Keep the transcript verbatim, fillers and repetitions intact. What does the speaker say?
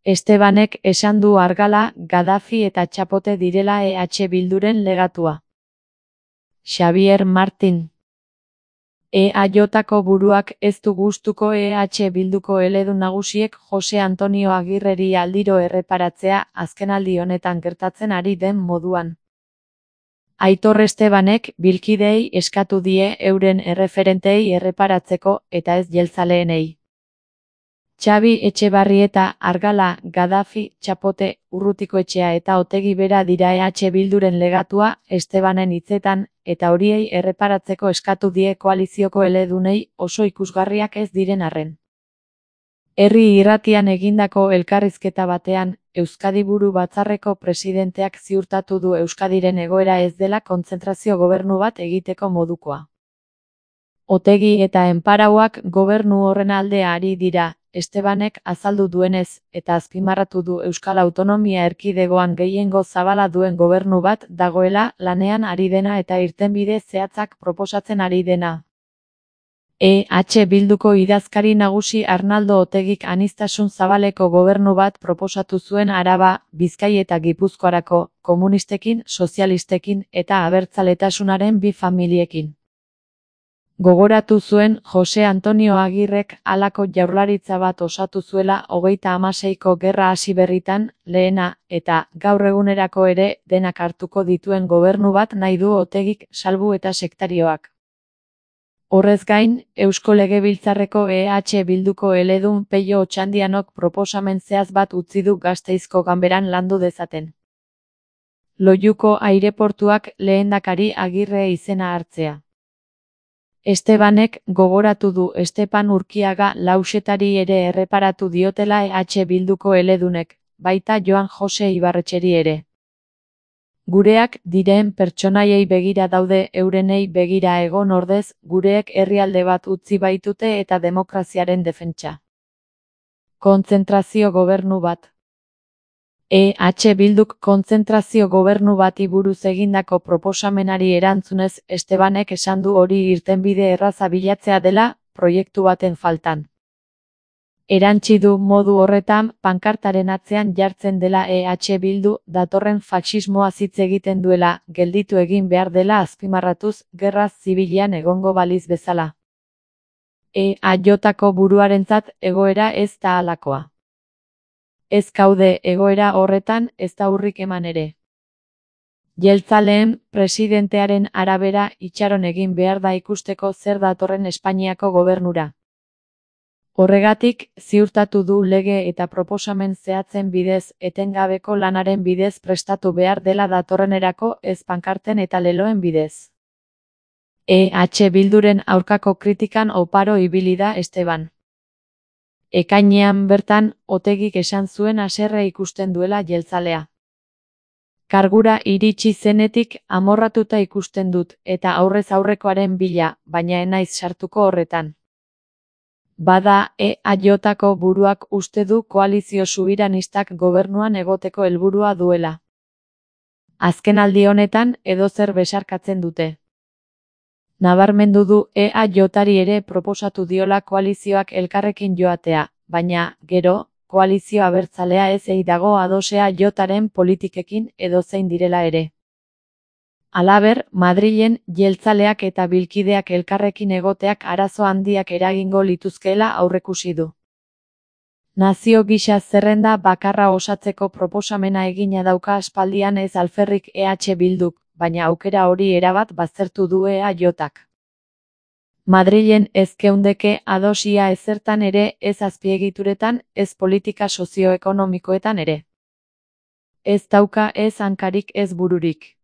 Estebanek esan du Argala, Gaddafi eta Txapote direla E H Bilduren legatua. Xabier Martin. E H-ko buruak ez du gustuko E H Bilduko eledun nagusiek Jose Antonio Agirreri aldiro erreparatzea azkenaldi honetan gertatzen ari den moduan. Aitor Estebanek bilkideei eskatu die euren erreferentei erreparatzeko eta ez jeltzaleenei. Xabi Etxebarrieta, Argala, Gaddafi, Txapote, Urrutikoetxea eta Otegi bera dira E H Bilduren legatua Estebanen hitzetan, eta horiei erreparatzeko eskatu die koalizioko eledunei oso ikusgarriak ez diren arren. Herri Irratian egindako elkarrizketa batean, Euskadi Buru Batzarreko presidenteak ziurtatu du Euskadiren egoera ez dela kontzentrazio gobernu bat egiteko modukoa. Otegi eta enparauak gobernu horren alde ari dira, Estebanek azaldu duenez, eta azpimarratu du Euskal Autonomia Erkidegoan gehiengo zabala duen gobernu bat dagoela lanean ari dena eta irtenbide zehatzak proposatzen ari dena. E H Bilduko idazkari nagusi Arnaldo Otegik aniztasun zabaleko gobernu bat proposatu zuen Araba, Bizkai eta Gipuzkoarako, komunistekin, sozialistekin eta abertzaletasunaren bi familiekin. Gogoratu zuen Jose Antonio Agirrek halako jaurlaritza bat osatu zuela hogeita hamaseiko gerra hasi berritan, lehena, eta gaur egunerako ere denak hartuko dituen gobernu bat nahi du Otegik salbu eta sektarioak. Horrez gain, Eusko Legebiltzarreko E H Bilduko eledun Peio Otxandianok proposamen zehatz bat utzi du Gasteizko ganberan landu dezaten. Loiuko aireportuak lehendakari Agirre izena hartzea. Estebanek gogoratu du Estepan Urkiaga Lauxetari ere erreparatu diotela E H Bilduko eledunek, baita Joan Jose Ibarretxeri ere. Gureak diren pertsonaiei begira daude eurenei begira egon ordez, gureek herrialde bat utzi baitute eta demokraziaren defentsa. Kontzentrazio gobernu bat. E H Bilduk kontzentrazio gobernu bati buruz egindako proposamenari erantzunez Estebanek esan du hori irtenbide erraza bilatzea dela, proiektu baten faltan. Erantsi du modu horretan pankartaren atzean jartzen dela E H Bildu datorren faxismoaz hitz egiten duela, gelditu egin behar dela azpimarratuz gerra zibilean egongo baliz bezala. E H-ko buruarentzat egoera ez da halakoa. Ez gaude egoera horretan ez da urrik eman ere. Jeltzaleen presidentearen arabera itxaron egin behar da ikusteko zer datorren Espainiako gobernura. Horregatik, ziurtatu du lege eta proposamen zehatzen bidez etengabeko lanaren bidez prestatu behar dela datorrenerako ez pankarten eta leloen bidez. E H Bilduren aurkako kritikan oparo ibili da Esteban. Ekainean bertan, Otegik esan zuen haserre ikusten duela jeltzalea. Kargura iritsi zenetik amorratuta ikusten dut eta aurrez aurrekoaren bila, baina ez naiz sartuko horretan. Bada, E H-ko buruak uste du koalizio subiranistak gobernuan egoteko helburua duela. Azkenaldi honetan edozer besarkatzen dute. Nabarmendu du E H-ari ere proposatu diola koalizioak elkarrekin joatea, baina, gero, koalizio abertzalea ez ei dago ados E H-aren politikekin edozein direla ere. Halaber, Madrilen jeltzaleak eta bilkideak elkarrekin egoteak arazo handiak eragingo lituzkeela aurrekusi du. Nazio gisa zerrenda bakarra osatzeko proposamena egina dauka aspaldian ez alferrik E H Bilduk, baina aukera hori erabat baztertu du E H-ak. Madrilen ez geundeke ados ia ezertan ere ez azpiegituretan, ez politika sozioekonomikoetan ere. Ez dauka ez hankarik ez bururik.